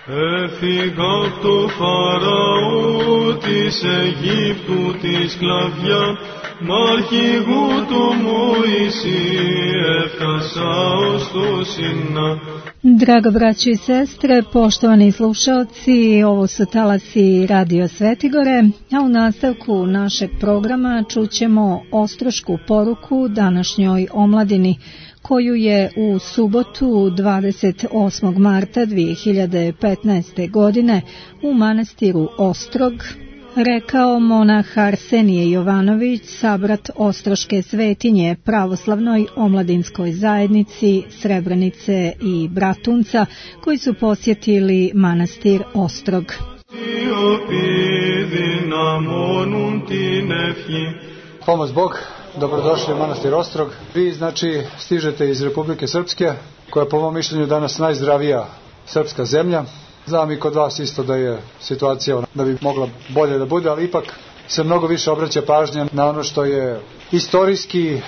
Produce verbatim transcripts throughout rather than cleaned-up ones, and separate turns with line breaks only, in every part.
Έφυγα απ' το Φαραώ της Αιγύπτου τη σκλαβιά, μ' αρχηγού το Mojsij έφτασα ως το Sina.
Draga braćo i sestre, poštovani slušaoci, ovo su talasi Radio Svetigore, a u nastavku našeg programa čućemo ostrošku poruku današnjoj omladini, koju je u subotu dvadeset osmog marta dve hiljade petnaeste. godine u manastiru Ostrog rekao monah Arsenije Jovanović, sabrat Ostroške svetinje pravoslavnoj omladinskoj zajednici Srebrenice i Bratunca, koji su posjetili manastir Ostrog.
Pomoz Bog, dobrodošli u manastir Ostrog. Vi znači stižete iz Republike Srpske, koja je po mom mišljenju danas najzdravija srpska zemlja. Znam i kod vas isto da je situacija da bi mogla bolje da bude, ali ipak se mnogo više obraća pažnja na ono što je istorijski,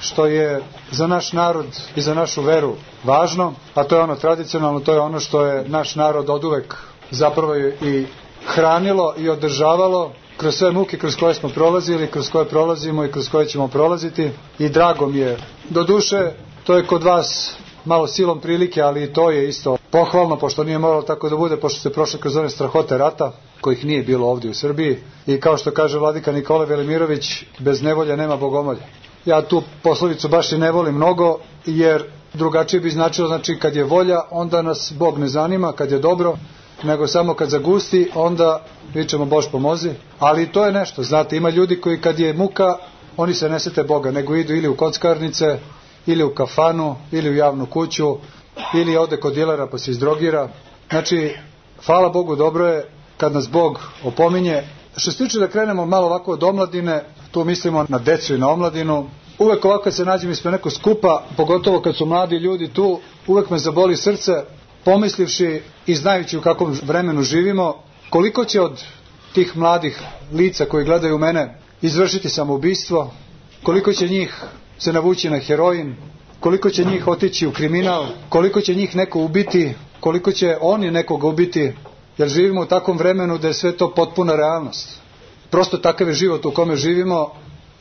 što je za naš narod i za našu veru važno, a to je ono tradicionalno, to je ono što je naš narod oduvek zapravo i hranilo i održavalo kroz sve muke kroz koje smo prolazili, kroz koje prolazimo i kroz koje ćemo prolaziti. I drago mi je, do duše, to je kod vas malo silom prilike, ali i to je isto pohvalno, pošto nije moralo tako da bude, pošto ste prošli kroz one strahote rata, kojih nije bilo ovdje u Srbiji. I kao što kaže vladika Nikola Velimirović, bez nevolje nema bogomolje. Ja tu poslovicu baš i ne volim mnogo, jer drugačije bi značilo, znači kad je volja, onda nas Bog ne zanima, kad je dobro, nego samo kad zagusti, onda vičemo Bož pomozi. Ali to je nešto, znate, ima ljudi koji kad je muka, oni se ne sete Boga, nego idu ili u kockarnice, ili u kafanu, ili u javnu kuću, ili ode kod dilera pa se izdrogira. Znači, hvala Bogu, dobro je kad nas Bog opominje. Što se tiče da krenemo malo ovako od omladine, tu mislimo na decu i na omladinu. Uvek ovako kad se nađem ispred nekog skupa, pogotovo kad su mladi ljudi tu, uvek me zaboli srce, pomislivši i znajući u kakvom vremenu živimo, koliko će od tih mladih lica koji gledaju mene izvršiti samoubistvo, koliko će njih se navući na heroin, koliko će njih otići u kriminal, koliko će njih neko ubiti, koliko će oni nekoga ubiti, jer živimo u takvom vremenu da je sve to potpuna realnost. Prosto takav je život u kome živimo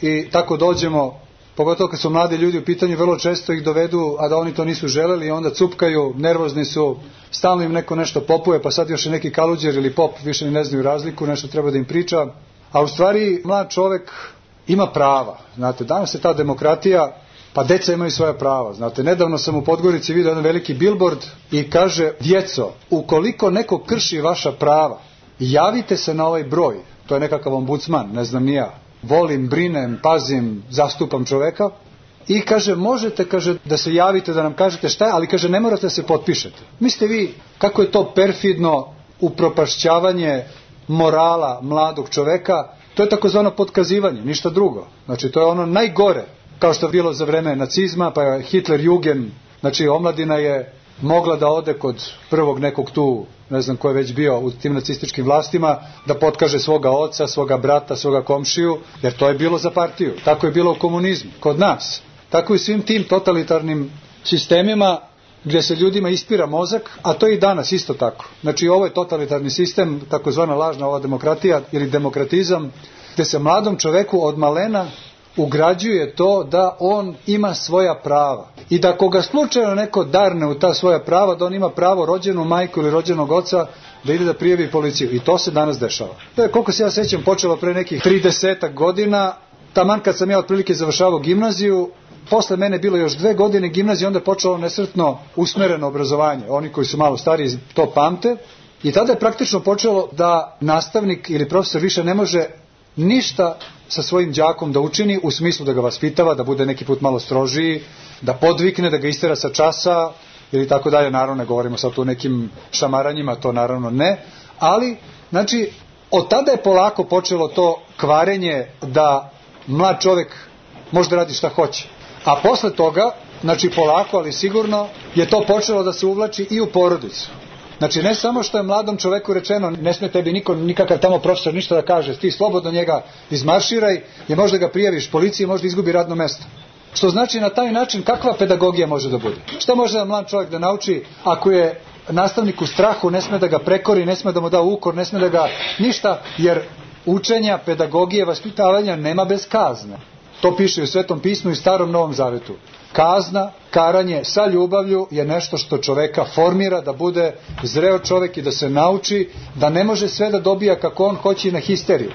i tako dođemo, pogotovo kad su mladi ljudi u pitanju, vrlo često ih dovedu, a da oni to nisu želeli i onda cupkaju, nervozni su, stalno im neko nešto popuje, pa sad još i neki kaluđer ili pop, više ni ne znaju razliku, nešto treba da im priča. A u stvari mlad čovek ima prava. Znate, danas je ta demokratija, pa deca imaju svoja prava. Znate, nedavno sam u Podgorici vidio jedan veliki billboard i kaže: djeco, ukoliko neko krši vaša prava, javite se na ovaj broj. To je nekakav ombudsman, ne znam ni ja. Volim, brinem, pazim, zastupam čoveka. I kaže, možete, kaže, da se javite, da nam kažete šta je, ali kaže, ne morate da se potpišete. Mislite vi kako je to perfidno upropašćavanje morala mladog čoveka? To je takozvano potkazivanje, ništa drugo. Znači, to je ono najgore, kao što je bilo za vreme nacizma, pa je Hitler Jugend, znači omladina je mogla da ode kod prvog nekog tu, ne znam ko je već bio u tim nacističkim vlastima, da potkaže svoga oca, svoga brata, svoga komšiju, jer to je bilo za partiju. Tako je bilo u komunizmu, kod nas. Tako i svim tim totalitarnim sistemima gdje se ljudima ispira mozak, a to je i danas isto tako. Znači, ovo je totalitarni sistem, takozvana lažna ova demokratija ili demokratizam, gdje se mladom čoveku od malena ugrađuje to da on ima svoja prava. I da ako ga slučajno neko darne u ta svoja prava, da on ima pravo rođenu majku ili rođenog oca da ide da prijavi policiju. I to se danas dešava. To je, koliko se ja sećam, počelo pre nekih tridesetak godina, taman kad sam ja otprilike završavao gimnaziju. Posle mene bilo još dve godine gimnazije, onda je počelo nesretno usmereno obrazovanje. Oni koji su malo stariji to pamte. I tada je praktično počelo da nastavnik ili profesor više ne može ništa sa svojim đakom da učini, u smislu da ga vaspitava, da bude neki put malo strožiji, da podvikne, da ga istera sa časa ili tako dalje. Naravno, ne govorimo sad tu o nekim šamaranjima, to naravno ne. Ali, znači, od tada je polako počelo to kvarenje da mlad čovek može da radi šta hoće. A posle toga, znači polako, ali sigurno, je to počelo da se uvlači i u porodicu. Znači, ne samo što je mladom čoveku rečeno, ne smije tebi niko, nikakav tamo profesor ništa da kaže, ti slobodno njega izmarširaj, je možda ga prijaviš policiji, možda izgubi radno mesto. Što znači, na taj način kakva pedagogija može da bude? Šta može da mlad čovjek da nauči ako je nastavnik u strahu, ne sme da ga prekori, ne sme da mu da ukor, ne sme da ga ništa, jer učenja, pedagogije, vaspitavanja nema bez kazne. To piše u Svetom pismu i Starom Novom Zavetu. Kazna, karanje sa ljubavlju je nešto što čoveka formira da bude zreo čovek i da se nauči da ne može sve da dobija kako on hoće na histeriju,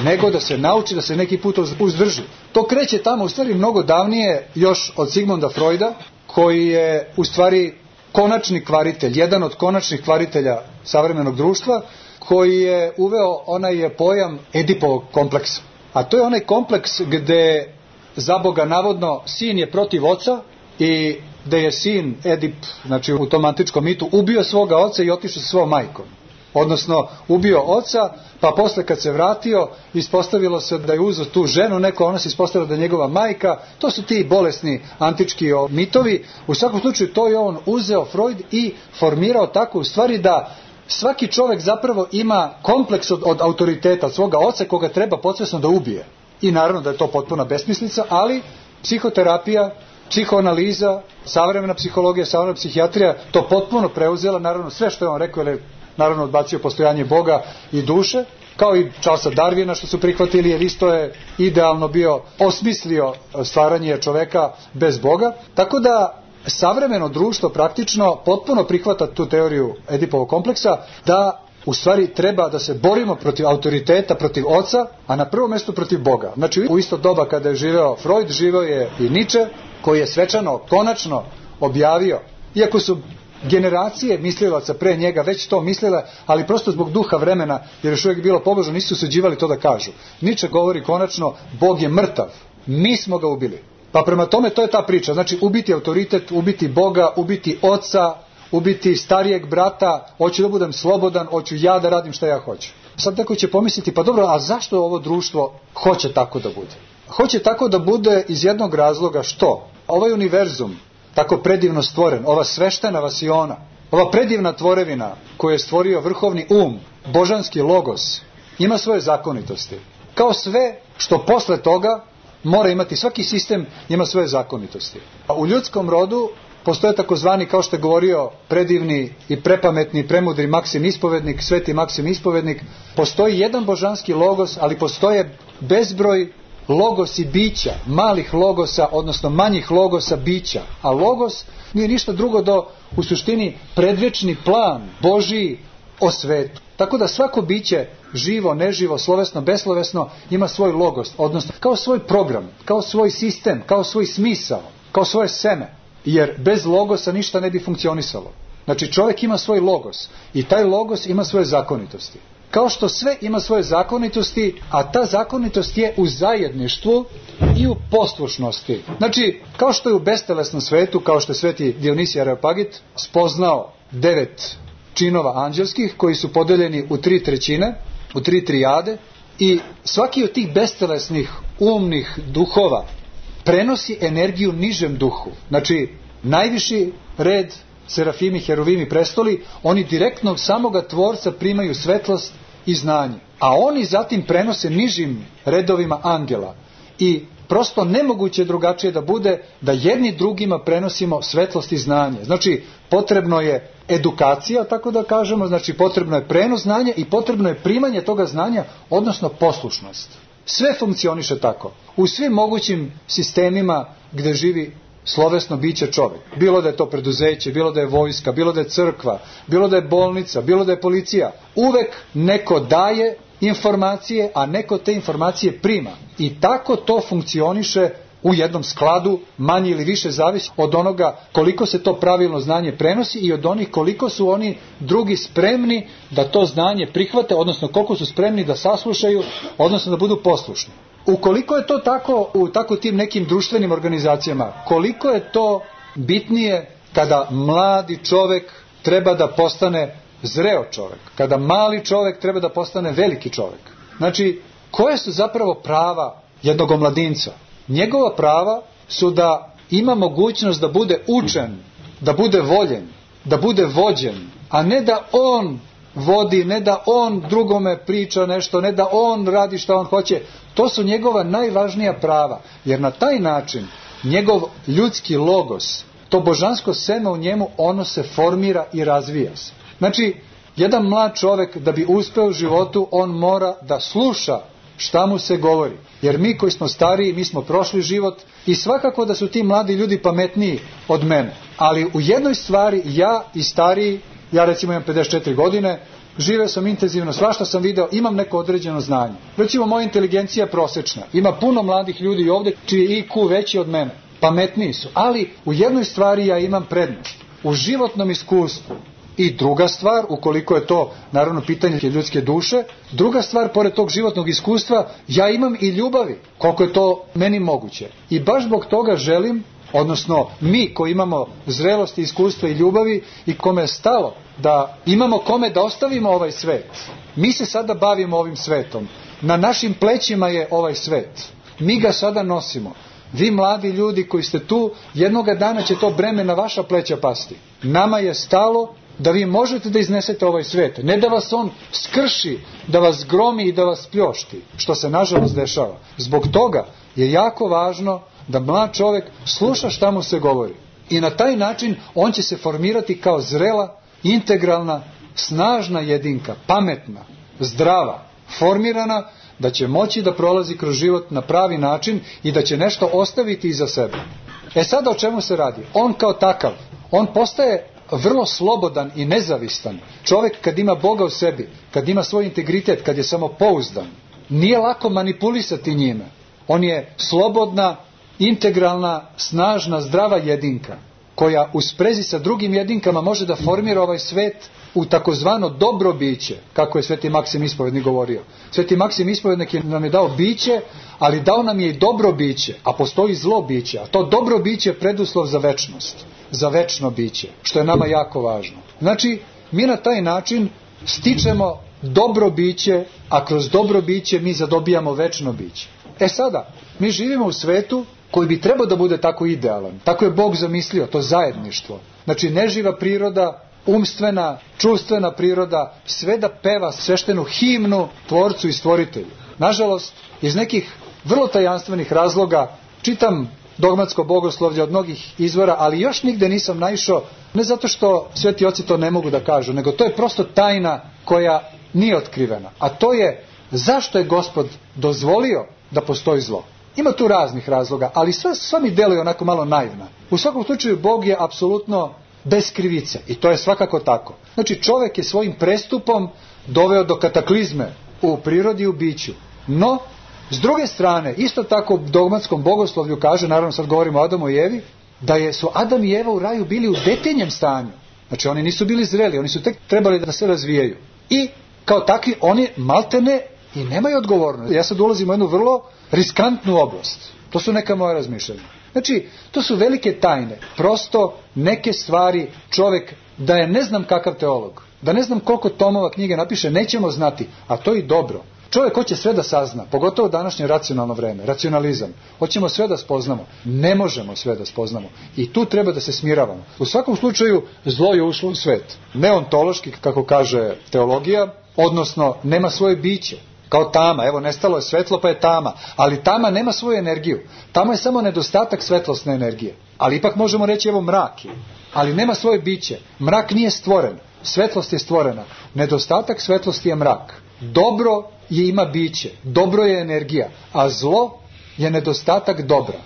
nego da se nauči da se neki put uzdrži. To kreće tamo u stvari mnogo davnije još od Sigmunda Freuda, koji je u stvari konačni kvaritelj, jedan od konačnih kvaritelja savremenog društva, koji je uveo onaj pojam Edipovog kompleksa. A to je onaj kompleks gde za Boga navodno sin je protiv oca i gde je sin Edip, znači u tom antičkom mitu, ubio svoga oca i otišao sa svojom majkom. Odnosno ubio oca, pa posle kad se vratio ispostavilo se da je uzeo tu ženu, neko ona se ispostavila da je njegova majka. To su ti bolesni antički mitovi. U svakom slučaju to je on uzeo Freud i formirao tako u stvari da svaki čovek zapravo ima kompleks od, od autoriteta, od svoga oca koga treba podsvesno da ubije. I naravno da je to potpuna besmislica, ali psihoterapija, psihoanaliza, savremena psihologija, savremena psihijatrija to potpuno preuzela, naravno sve što je on rekao, jer je naravno odbacio postojanje Boga i duše, kao i Charlesa Darwina što su prihvatili, jer isto je idealno bio osmislio stvaranje čoveka bez Boga. Tako da savremeno društvo praktično potpuno prihvata tu teoriju Edipovog kompleksa, da u stvari treba da se borimo protiv autoriteta, protiv oca, a na prvom mjestu protiv Boga. Znači u isto doba kada je živeo Freud, živeo je i Nietzsche, koji je svečano, konačno objavio, iako su generacije mislilaca pre njega već to mislile, ali prosto zbog duha vremena, jer još uvijek bilo pobožno, nisu suđivali to da kažu. Nietzsche govori konačno, Bog je mrtav, mi smo ga ubili. Pa prema tome to je ta priča, znači ubiti autoritet, ubiti Boga, ubiti oca, ubiti starijeg brata, hoću da budem slobodan, hoću ja da radim šta ja hoću. Sad neko će pomisliti, pa dobro, a zašto ovo društvo hoće tako da bude? Hoće tako da bude iz jednog razloga što ovaj univerzum, tako predivno stvoren, ova sveštena vasiona, ova predivna tvorevina koju je stvorio vrhovni um, božanski logos, ima svoje zakonitosti. Kao sve što posle toga mora imati, svaki sistem ima svoje zakonitosti. A u ljudskom rodu postoje takozvani, kao što je govorio predivni i prepametni, premudri Maksim Ispovednik, sveti Maksim Ispovednik, postoji jedan božanski logos, ali postoje bezbroj logosi bića, malih logosa, odnosno manjih logosa bića. A logos nije ništa drugo do, u suštini, predvečni plan Božiji o svetu. Tako da svako biće, živo, neživo, slovesno, beslovesno, ima svoj logos, odnosno kao svoj program, kao svoj sistem, kao svoj smisao, kao svoje seme. Jer bez logosa ništa ne bi funkcionisalo. Znači čovjek ima svoj logos i taj logos ima svoje zakonitosti. Kao što sve ima svoje zakonitosti, a ta zakonitost je u zajedništvu i u poslušnosti. Znači, kao što je u bestelesnom svetu, kao što je sveti Dionisije Areopagit spoznao devet činova anđelskih koji su podeljeni u tri trećine, u tri trijade, i svaki od tih bestelesnih umnih duhova prenosi energiju nižem duhu. Znači, najviši red, serafimi, heruvimi, prestoli, oni direktno od samoga tvorca primaju svetlost i znanje. A oni zatim prenose nižim redovima angela. I prosto nemoguće drugačije da bude da jedni drugima prenosimo svetlost i znanje. Znači, potrebno je edukacija, tako da kažemo, znači potrebno je prenos znanja i potrebno je primanje toga znanja, odnosno poslušnost. Sve funkcioniše tako. U svim mogućim sistemima gde živi slovesno biće čovjek. Bilo da je to preduzeće, bilo da je vojska, bilo da je crkva, bilo da je bolnica, bilo da je policija. Uvek neko daje informacije, a neko te informacije prima. I tako to funkcioniše u jednom skladu, manje ili više zavisi od onoga koliko se to pravilno znanje prenosi i od onih koliko su oni drugi spremni da to znanje prihvate, odnosno koliko su spremni da saslušaju, odnosno da budu poslušni. Ukoliko je to tako u tako tim nekim društvenim organizacijama, koliko je to bitnije kada mladi čovek treba da postane zreo čovek, kada mali čovek treba da postane veliki čovek. Znači, koje su zapravo prava jednog omladinca? Njegova prava su da ima mogućnost da bude učen, da bude voljen, da bude vođen, a ne da on vodi, ne da on drugome priča nešto, ne da on radi šta on hoće. To su njegova najvažnija prava, jer na taj način njegov ljudski logos to božansko seme u njemu, ono se formira i razvija se. Znači, jedan mlad čovek da bi uspeo u životu, on mora da sluša šta mu se govori. Jer mi koji smo stariji, mi smo prošli život i svakako da su ti mladi ljudi pametniji od mene. Ali u jednoj stvari ja i stariji, ja recimo imam pedeset četiri godine, živeo sam intenzivno, svašta sam video, imam neko određeno znanje. Recimo moja inteligencija je prosečna. Ima puno mladih ljudi ovdje čiji je I Q veći od mene. Pametniji su. Ali u jednoj stvari ja imam prednost. U životnom iskustvu. I druga stvar, ukoliko je to naravno pitanje ljudske duše, druga stvar, pored tog životnog iskustva, ja imam i ljubavi, koliko je to meni moguće. I baš zbog toga želim, odnosno mi koji imamo zrelosti, iskustva i ljubavi i kome je stalo da imamo kome da ostavimo ovaj svet. Mi se sada bavimo ovim svetom. Na našim plećima je ovaj svet. Mi ga sada nosimo. Vi mladi ljudi koji ste tu, jednoga dana će to breme na vaša pleća pasti. Nama je stalo da vi možete da iznesete ovaj svet. Ne da vas on skrši, da vas gromi i da vas pljošti, što se nažalost dešava. Zbog toga je jako važno da mlad čovjek sluša šta mu se govori. I na taj način on će se formirati kao zrela, integralna, snažna jedinka, pametna, zdrava, formirana, da će moći da prolazi kroz život na pravi način i da će nešto ostaviti iza sebe. E sada o čemu se radi? On kao takav, on postaje vrlo slobodan i nezavistan. Čovjek kad ima Boga u sebi, kad ima svoj integritet, kad je samopouzdan, nije lako manipulisati njime. On je slobodna, integralna, snažna, zdrava jedinka, koja u sprezi sa drugim jedinkama može da formira ovaj svet u takozvano dobro biće, kako je Sveti Maksim Ispovednik govorio. Sveti Maksim Ispovednik nam je dao biće, ali dao nam je i dobro biće, a postoji zlo biće, a to dobro biće je preduslov za večnost, za večno biće, što je nama jako važno. Znači, mi na taj način stičemo dobro biće, a kroz dobro biće mi zadobijamo večno biće. E sada, mi živimo u svetu koji bi trebao da bude tako idealan. Tako je Bog zamislio, to zajedništvo. Znači, neživa priroda, umstvena, čuvstvena priroda, sve da peva sveštenu himnu Tvorcu i Stvoritelju. Nažalost, iz nekih vrlo tajanstvenih razloga, čitam dogmatsko bogoslovlje od mnogih izvora, ali još nigde nisam naišao, ne zato što sveti oci to ne mogu da kažu, nego to je prosto tajna koja nije otkrivena. A to je, zašto je Gospod dozvolio da postoji zlo? Ima tu raznih razloga, ali sve, sve mi deluje onako malo naivna. U svakom slučaju Bog je apsolutno bez krivice i to je svakako tako. Znači, čovjek je svojim prestupom doveo do kataklizme u prirodi i u biću. No, s druge strane, isto tako u dogmatskom bogoslovlju kaže, naravno sad govorimo o Adamu i Evi, da je, su Adam i Eva u raju bili u detinjem stanju. Znači, oni nisu bili zreli, oni su tek trebali da se razvijaju. I kao takvi, oni maltene i nemaju odgovornost. Ja sad ulazim u jednu vrlo riskantnu oblast. To su neka moja razmišljanja. Znači, to su velike tajne. Prosto neke stvari čovjek, da je ne znam kakav teolog, da ne znam koliko tomova knjige napiše, nećemo znati, a to i dobro. Čovjek hoće sve da sazna, pogotovo u današnje racionalno vreme, racionalizam. Hoćemo sve da spoznamo. Ne možemo sve da spoznamo. I tu treba da se smiravamo. U svakom slučaju, zlo je ušlo u svet. Neontološki, kako kaže teologija, odnosno nema svoje biće. Kao tama, evo nestalo je svetlo pa je tama, ali tama nema svoju energiju. Tama je samo nedostatak svetlosne energije. Ali ipak možemo reći evo mrak je, ali nema svoje biće. Mrak nije stvoren, svetlost je stvorena. Nedostatak svetlosti je mrak. Dobro je ima biće, dobro je energija, a zlo je nedostatak dobra.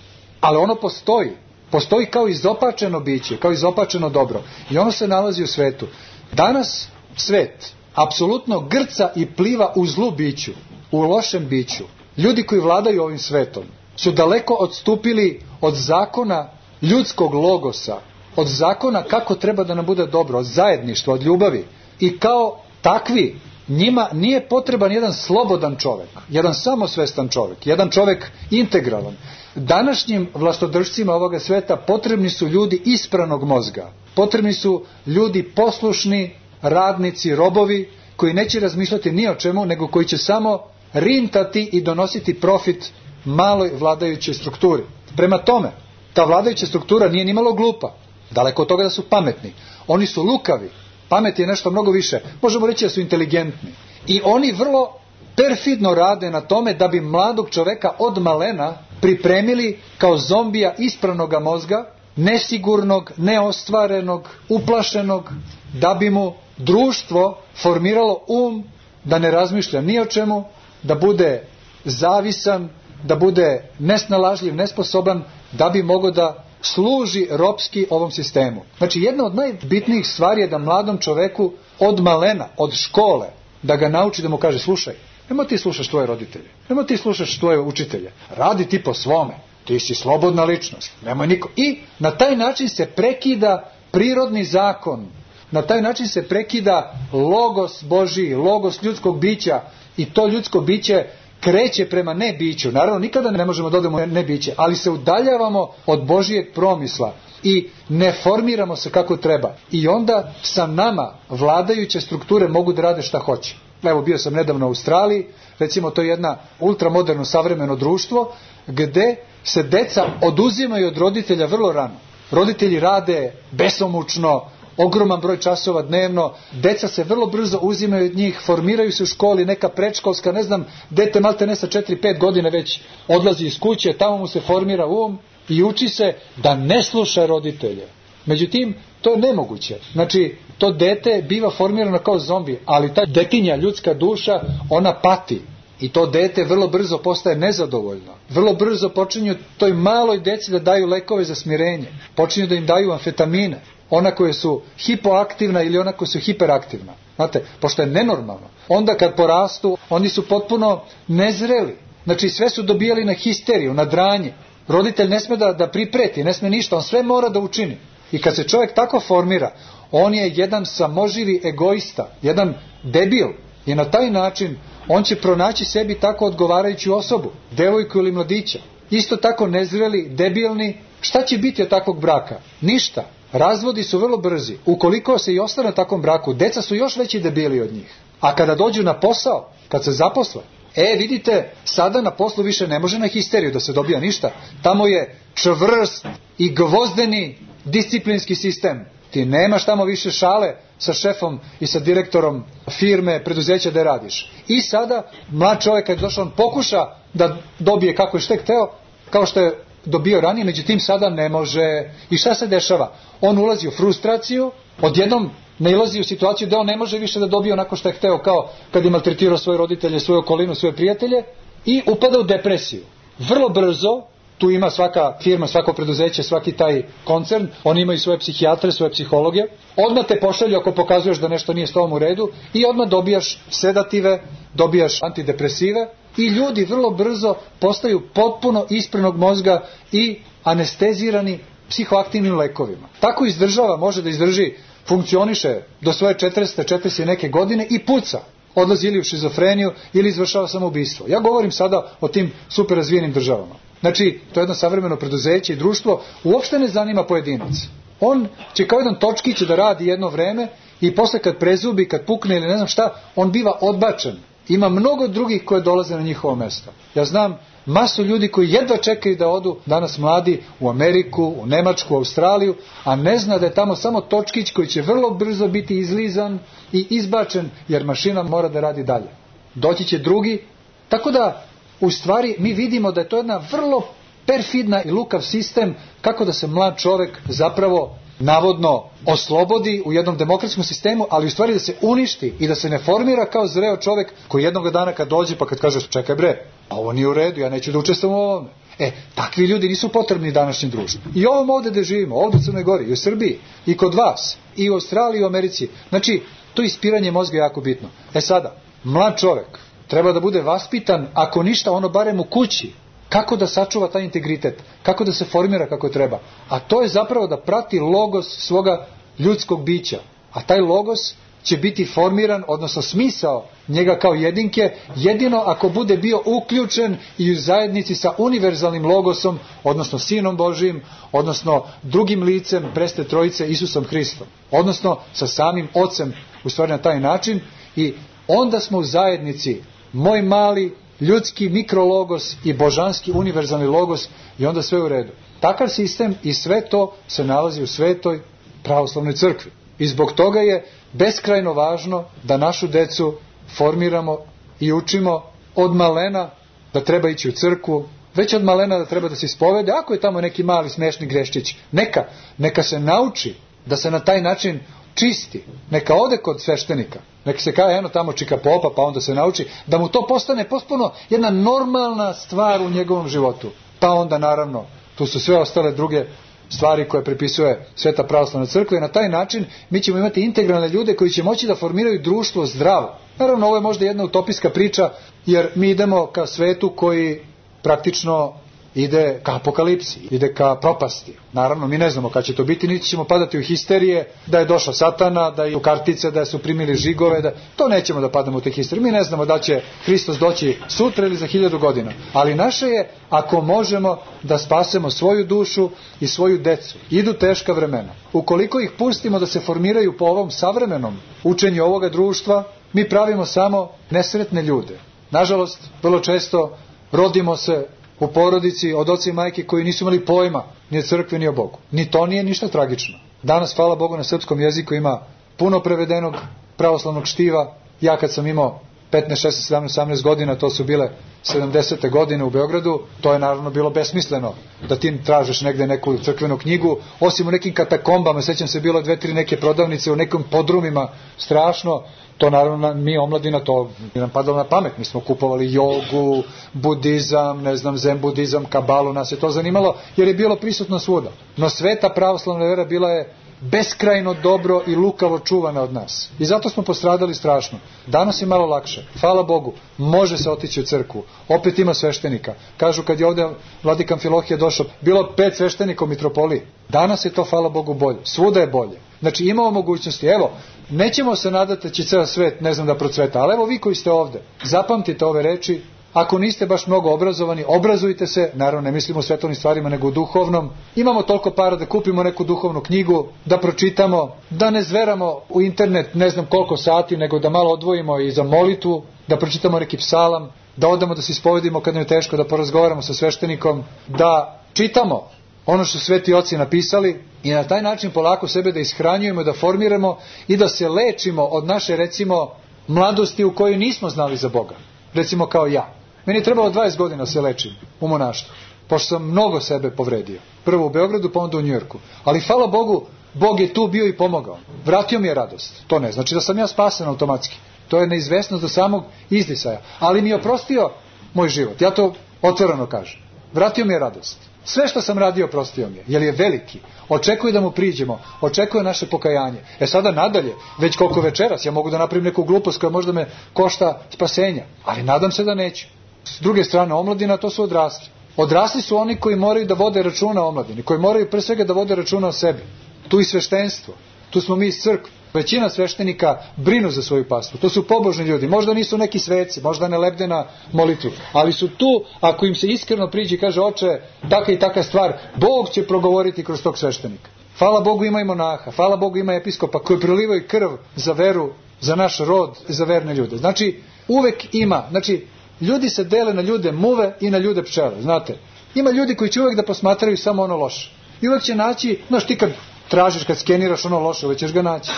Ali ono postoji, postoji kao izopačeno biće, kao izopačeno dobro. I ono se nalazi u svetu. Danas svet apsolutno grca i pliva u zlu biću, u lošem biću. Ljudi koji vladaju ovim svetom su daleko odstupili od zakona ljudskog logosa, od zakona kako treba da nam bude dobro, od zajedništva, od ljubavi. I kao takvi, njima nije potreban jedan slobodan čovjek, jedan samosvestan čovjek, jedan čovjek integralan. Današnjim vlastodržcima ovoga sveta potrebni su ljudi ispranog mozga. Potrebni su ljudi poslušni, radnici, robovi, koji neće razmišljati ni o čemu, nego koji će samo rintati i donositi profit maloj vladajućoj strukturi. Prema tome, ta vladajuća struktura nije ni malo glupa. Daleko od toga da su pametni. Oni su lukavi. Pamet je nešto mnogo više. Možemo reći da su inteligentni. I oni vrlo perfidno rade na tome da bi mladog čoveka od malena pripremili kao zombija ispravnoga mozga, nesigurnog, neostvarenog, uplašenog, da bi mu društvo formiralo um da ne razmišlja ni o čemu, da bude zavisan, da bude nesnalažljiv, nesposoban, da bi mogao da služi ropski ovom sistemu. Znači, jedna od najbitnijih stvari je da mladom čoveku od malena, od škole, da ga nauči, da mu kaže, slušaj, nemoj ti slušaš tvoje roditelje, nemoj ti slušaš tvoje učitelje, radi ti po svome, ti si slobodna ličnost, nemoj niko. I na taj način se prekida prirodni zakon, na taj način se prekida logos Božiji, logos ljudskog bića, i to ljudsko biće kreće prema nebiću. Naravno, nikada ne možemo da odemo nebiće, ali se udaljavamo od Božijeg promisla i ne formiramo se kako treba. I onda sa nama vladajuće strukture mogu da rade šta hoće. Evo, bio sam nedavno u Australiji, recimo to je jedna ultramoderno savremeno društvo, gde se deca oduzimaju od roditelja vrlo rano. Roditelji rade besomučno, ogroman broj časova dnevno, deca se vrlo brzo uzimaju od njih, formiraju se u školi, neka predškolska, ne znam, dete malte ne sa četiri pet godine već odlazi iz kuće, tamo mu se formira um i uči se da ne sluša roditelje. Međutim, to je nemoguće. Znači, to dete biva formirano kao zombi, ali ta detinja, ljudska duša, ona pati. I to dete vrlo brzo postaje nezadovoljno. Vrlo brzo počinju toj maloj deci da daju lekove za smirenje. Počinju da im daju amfetamine. Ona koje su hipoaktivna ili ona koja su hiperaktivna. Znate, pošto je nenormalno. Onda kad porastu, oni su potpuno nezreli. Znači, sve su dobijali na histeriju, na dranje. Roditelj ne sme da, da pripreti, ne sme ništa, on sve mora da učini. I kad se čovjek tako formira, on je jedan samoživi egoista, jedan debil. I na taj način on će pronaći sebi tako odgovarajuću osobu, devojku ili mladića. Isto tako nezreli, debilni. Šta će biti od takvog braka? Ništa. Razvodi su vrlo brzi. Ukoliko se i ostane na takvom braku, deca su još veći debili od njih. A kada dođu na posao, kad se zaposle, e, vidite, sada na poslu više ne može na histeriju da se dobija ništa. Tamo je čvrst i gvozdeni disciplinski sistem. Ti nemaš tamo više šale sa šefom i sa direktorom firme, preduzeća da radiš. I sada, mlad čovjek kad je došao, on pokuša da dobije kako je štek hteo, kao što je dobio ranije, međutim sada ne može. I šta se dešava? On ulazi u frustraciju, odjednom nailazi u situaciju da on ne može više da dobije onako što je hteo, kao kad je maltretirao svoje roditelje, svoju okolinu, svoje prijatelje, i upada u depresiju. Vrlo brzo, tu ima svaka firma, svako preduzeće, svaki taj koncern, oni imaju svoje psihijatre, svoje psihologe, odmah te pošalju ako pokazuješ da nešto nije s tobom u redu i odmah dobijaš sedative, dobijaš antidepresive i ljudi vrlo brzo postaju potpuno isprenog mozga i anestezirani psihoaktivnim lekovima. Tako izdržava, može da izdrži, funkcioniše do svoje četrdeset, četrdeset neke godine i puca. Odlazi ili u šizofreniju ili izvršava samoubistvo. Ja govorim sada o tim super razvijenim državama. Znači, to je jedno savremeno preduzeće i društvo, uopšte ne zanima pojedinac. On će kao jedan točkić da radi jedno vreme i posle kad prezubi, kad pukne ili ne znam šta, on biva odbačen. Ima mnogo drugih koje dolaze na njihovo mesto. Ja znam masu ljudi koji jedva čekaju da odu, danas mladi, u Ameriku, u Nemačku, u Australiju, a ne zna da je tamo samo točkić koji će vrlo brzo biti izlizan i izbačen, jer mašina mora da radi dalje. Doći će drugi, tako da u stvari mi vidimo da je to jedna vrlo perfidna i lukav sistem kako da se mlad čovjek zapravo navodno oslobodi u jednom demokratskom sistemu, ali u stvari da se uništi i da se ne formira kao zreo čovjek koji jednog dana kad dođe pa kad kaže čekaj bre, ovo nije u redu, ja neću da učestvujem u ovome. E, takvi ljudi nisu potrebni današnjem društvu. I ovom ovdje gde živimo, ovdje u Crnoj Gori, i u Srbiji, i kod vas, i u Australiji, i u Americi. Znači, to ispiranje mozga je jako bitno. E sada, mlad čovjek treba da bude vaspitan, ako ništa, ono barem u kući. Kako da sačuva taj integritet, kako da se formira kako treba. A to je zapravo da prati logos svoga ljudskog bića. A taj logos će biti formiran, odnosno smisao njega kao jedinke, jedino ako bude bio uključen i u zajednici sa univerzalnim logosom, odnosno Sinom Božijim, odnosno drugim licem preste trojice Isusom Hristom. Odnosno sa samim Ocem, u stvari na taj način. I onda smo u zajednici, moj mali ljudski mikrologos i božanski univerzalni logos, i onda sve u redu. Takav sistem i sve to se nalazi u Svetoj pravoslavnoj crkvi. I zbog toga je beskrajno važno da našu decu formiramo i učimo od malena da treba ići u crkvu, već od malena da treba da se ispovede, ako je tamo neki mali smešni greščić, neka, neka se nauči da se na taj način čisti, neka ode kod sveštenika, neka se kaže eno tamo čika popa, pa onda se nauči, da mu to postane potpuno jedna normalna stvar u njegovom životu. Pa onda naravno, tu su sve ostale druge stvari koje pripisuje Sveta pravoslavna crkva i na taj način mi ćemo imati integralne ljude koji će moći da formiraju društvo zdravo. Naravno, ovo je možda jedna utopijska priča, jer mi idemo ka svetu koji praktično ide ka apokalipsi, ide ka propasti. Naravno, mi ne znamo kada će to biti, niti ćemo padati u histerije, da je došao Satana, da je u kartice, da su primili žigove, da... to nećemo da padamo u te histerije. Mi ne znamo da će Hristos doći sutra ili za hiljadu godina. Ali naše je, ako možemo, da spasemo svoju dušu i svoju decu. Idu teška vremena. Ukoliko ih pustimo da se formiraju po ovom savremenom učenju ovoga društva, mi pravimo samo nesretne ljude. Nažalost, vrlo često rodimo se u porodici od oca i majke koji nisu imali pojma ni o crkvi ni o Bogu. Ni to nije ništa tragično. Danas, hvala Bogu, na srpskom jeziku ima puno prevedenog pravoslavnog štiva. Ja kad sam imao petnaest, šesnaest, sedamnaest, osamnaest godina, to su bile sedamdesete godine u Beogradu, to je naravno bilo besmisleno da ti tražiš negde neku crkvenu knjigu, osim u nekim katakombama, sećam se bilo dve, tri neke prodavnice u nekim podrumima, strašno. To naravno mi omladina, to nam padalo na pamet. Mi smo kupovali jogu, budizam, ne znam, zen budizam, kabalu, nas je to zanimalo jer je bilo prisutno svuda. No sveta pravoslavna vera bila je beskrajno dobro i lukavo čuvana od nas. I zato smo postradali strašno. Danas je malo lakše. Hvala Bogu, može se otići u crkvu. Opet ima sveštenika. Kažu kad je ovdje vladika Amfilohije došao, bilo pet sveštenika u mitropoliji. Danas je to, hvala Bogu, bolje. Svuda je bolje. Znači imamo mogućnosti. Evo, nećemo se nadati da će ceo svet, ne znam, da procveta. Ali evo vi koji ste ovde, zapamtite ove reči. Ako niste baš mnogo obrazovani, obrazujte se, naravno ne mislimo u svetovnim stvarima nego u duhovnom. Imamo toliko para da kupimo neku duhovnu knjigu, da pročitamo, da ne zveramo u internet ne znam koliko sati, nego da malo odvojimo i za molitvu, da pročitamo neki psalam, da odamo da se ispovedimo kad nam je teško, da porazgovaramo sa sveštenikom, da čitamo ono što sveti oci napisali i na taj način polako sebe da ishranjujemo, da formiramo i da se lečimo od naše, recimo, mladosti u kojoj nismo znali za Boga. Recimo kao ja. Meni je trebalo dvadeset godina se lečim u monaštvu, pošto sam mnogo sebe povredio. Prvo u Beogradu, pa onda u Njujorku. Ali hvala Bogu, Bog je tu bio i pomogao. Vratio mi je radost. To ne znači da sam ja spasen automatski. To je neizvesnost do samog izdisaja. Ali mi je oprostio moj život. Ja to otvoreno kažem. Vratio mi je radost. Sve što sam radio oprostio mi je, jer je veliki. Očekuje da mu priđemo, očekuje naše pokajanje. E sada nadalje, već koliko večeras, ja mogu da napravim neku glupost koja možda me košta spasenja, ali nadam se da neću. S druge strane, omladina, to su odrasli. Odrasli su oni koji moraju da vode računa o omladini, koji moraju pre svega da vode računa o sebi. Tu i sveštenstvo, tu smo mi iz crkve. Većina sveštenika brinu za svoju pastvu. To su pobožni ljudi. Možda nisu neki sveci, možda ne lebde na molitvu. Ali su tu, ako im se iskreno priđe i kaže, oče, taka i taka stvar, Bog će progovoriti kroz tog sveštenika. Hvala Bogu ima i monaha, hvala Bogu ima episkopa koji prelivaju krv za veru, za naš rod, za verne ljude. Znači, uvek ima. Znači, ljudi se dele na ljude muve i na ljude pčele. Znate, ima ljudi koji će uvek da posmatraju samo ono loše. I uvek će naći, znaš, ti kad tražiš, kad skeniraš ono loše, uvek ćeš ga naći.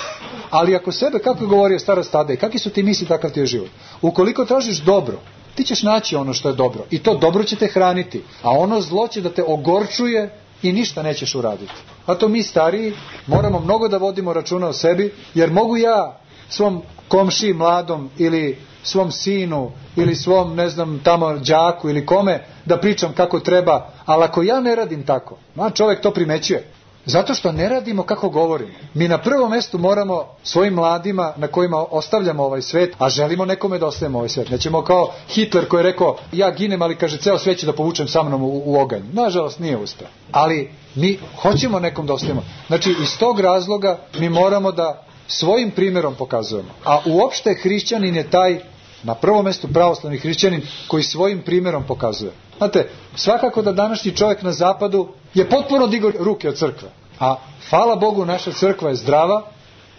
Ali ako sebe, kako je govorio stara Stadej, kakvi su ti misli, takav ti je život. Ukoliko tražiš dobro, ti ćeš naći ono što je dobro. I to dobro će te hraniti. A ono zlo će da te ogorčuje i ništa nećeš uraditi. A to mi stariji moramo mnogo da vodimo računa o sebi, jer mogu ja svom komšiji mladom ili svom sinu ili svom, ne znam, tamo đaku ili kome da pričam kako treba, ali ako ja ne radim tako, a čovjek to primećuje. Zato što ne radimo kako govorimo. Mi na prvom mjestu moramo svojim mladima na kojima ostavljamo ovaj svet, a želimo nekome da ostavimo ovaj svet. Nećemo kao Hitler koji je rekao, ja ginem, ali kaže, ceo svet ću da povučem sa mnom u, u oganj. Nažalost nije uspeo. Ali mi hoćemo nekom da ostavimo. Znači, iz tog razloga mi moramo da svojim primjerom pokazujemo. A uopšte hrišćanin je taj, na prvom mjestu pravoslavni hrišćanin, koji svojim primjerom pokazuje. Znate, svakako da današnji čovjek na zapadu je potpuno digao ruke od crkve. A hvala Bogu, naša crkva je zdrava,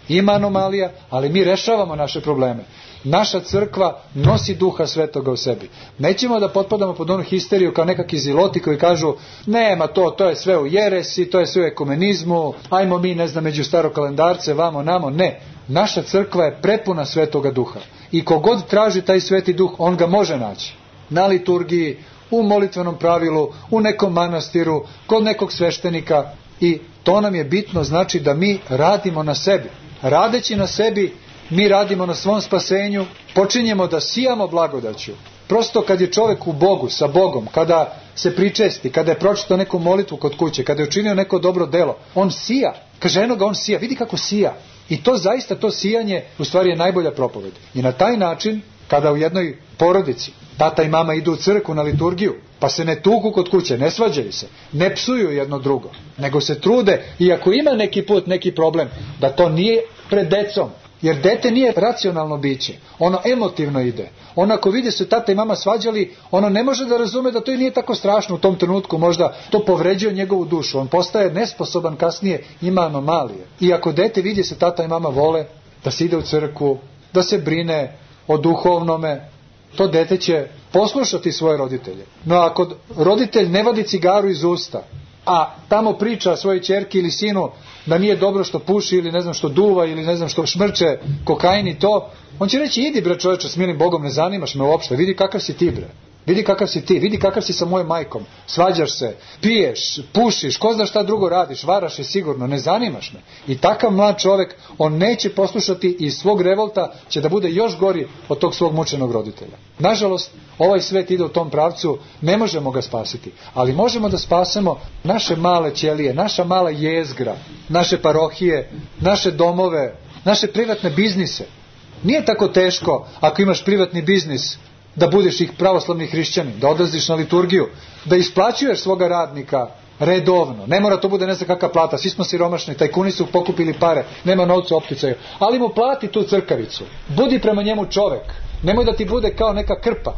ima anomalija, ali mi rešavamo naše probleme. Naša crkva nosi duha svetoga u sebi. Nećemo da potpadamo pod onu histeriju kao nekakvi ziloti koji kažu, nema to, to je sve u jeresi, to je sve u ekumenizmu, ajmo mi, ne znam, među starokalendarce, vamo, namo. Ne, naša crkva je prepuna svetoga duha. I kogod traži taj sveti duh, on ga može naći. Na liturgiji, u molitvenom pravilu, u nekom manastiru, kod nekog sveštenika i to nam je bitno, znači da mi radimo na sebi. Radeći na sebi, mi radimo na svom spasenju, počinjemo da sijamo blagodaću. Prosto kad je čovjek u Bogu, sa Bogom, kada se pričesti, kada je pročitao neku molitvu kod kuće, kada je učinio neko dobro delo, on sija. Kaže, eno ga, on sija, vidi kako sija. I to zaista, to sijanje, u stvari je najbolja propoved. I na taj način, kada u jednoj porodici tata i mama idu u crkvu na liturgiju, pa se ne tuku kod kuće, ne svađaju se, ne psuju jedno drugo, nego se trude, i ako ima neki put, neki problem, da to nije pred decom, jer dete nije racionalno biće, ono emotivno ide. Ono ako vidi se tata i mama svađali, ono ne može da razume da to i nije tako strašno u tom trenutku, možda to povređuje njegovu dušu, on postaje nesposoban kasnije, ima anomalije. I ako dete vidi se tata i mama vole, da se ide u crkvu, da se brine o duhovnome, to dete će poslušati svoje roditelje. No ako roditelj ne vadi cigaru iz usta, a tamo priča svojoj ćerki ili sinu da nije dobro što puši ili ne znam što duva ili ne znam što šmrče kokain i to, on će reći, idi bre čovječe, s milim Bogom, ne zanimaš me uopšte, vidi kakav si ti bre, vidi kakav si ti, vidi kakav si sa mojom majkom, svađaš se, piješ, pušiš, ko zna šta drugo radiš, varaš je sigurno, ne zanimaš me. I takav mlad čovjek, on neće poslušati i iz svog revolta će da bude još gori od tog svog mučenog roditelja. Nažalost, ovaj svet ide u tom pravcu, ne možemo ga spasiti, ali možemo da spasemo naše male ćelije, naša mala jezgra, naše parohije, naše domove, naše privatne biznise. Nije tako teško ako imaš privatni biznis da budeš ih pravoslavni hrišćanin, da odlaziš na liturgiju, da isplaćuješ svoga radnika redovno. Ne mora to bude ne znam kakva plata, svi smo siromašni, tajkuni su pokupili pare, nema novca u opticaju, ali mu plati tu crkavicu. Budi prema njemu čovek, nemoj da ti bude kao neka krpa.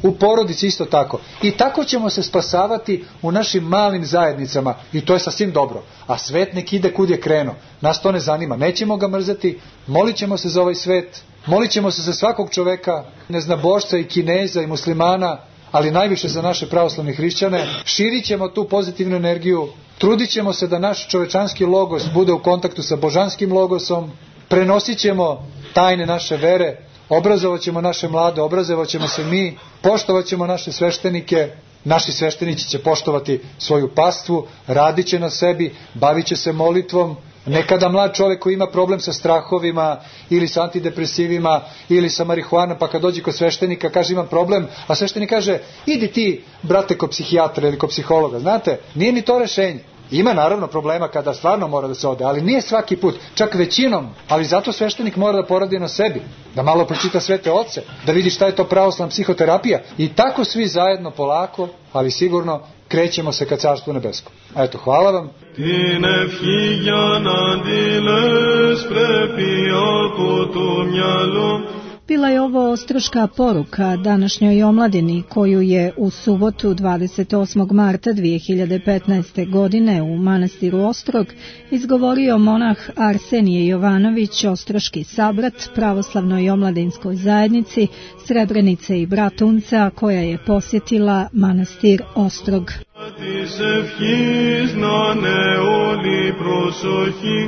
U porodici isto tako. I tako ćemo se spasavati u našim malim zajednicama i to je sasvim dobro. A svet nek ide kud je krenuo. Nas to ne zanima. Nećemo ga mrzeti, molit ćemo se za ovaj svet, molit ćemo se za svakog čoveka, neznabošca i Kineza i muslimana, ali najviše za naše pravoslavne hrišćane. Širit ćemo tu pozitivnu energiju, trudit ćemo se da naš čovečanski logos bude u kontaktu sa božanskim logosom, prenosit ćemo tajne naše vere, obrazovat ćemo naše mlade, obrazovat ćemo se mi, poštovat ćemo naše sveštenike, naši sveštenici će poštovati svoju pastvu, radit će na sebi, bavit će se molitvom. Nekada mlad čovjek koji ima problem sa strahovima ili sa antidepresivima ili sa marihuanom, pa kad dođe kod sveštenika kaže imam problem, a sveštenik kaže idi ti brate kod psihijatra ili kod psihologa. Znate, nije ni to rešenje. Ima naravno problema kada stvarno mora da se ode, ali nije svaki put, čak većinom, ali zato sveštenik mora da poradi na sebi, da malo pročita svete oce, da vidi šta je to pravoslavna psihoterapija i tako svi zajedno polako, ali sigurno krećemo se ka Carstvu nebeskom. Eto, hvala vam.
Την ευχή για να αντιλες πρέπει από το μυαλό.
Bila je ovo ostroška poruka današnjoj omladini koju je u subotu dvadeset osmog marta dve hiljade petnaeste. godine u manastiru Ostrog izgovorio monah Arsenije Jovanović, ostroški sabrat pravoslavnoj omladinskoj zajednici Srebrenice i Bratunca koja je posjetila manastir Ostrog.
Της ευχής να είναι όλη προσοχή,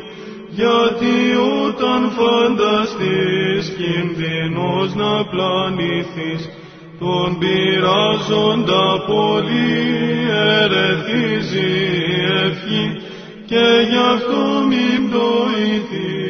γιατί όταν φανταστείς κινδυνός να πλανηθείς, τον πειράζοντα πολύ ερεθίζει η ευχή και γι' αυτό μην πτωηθείς.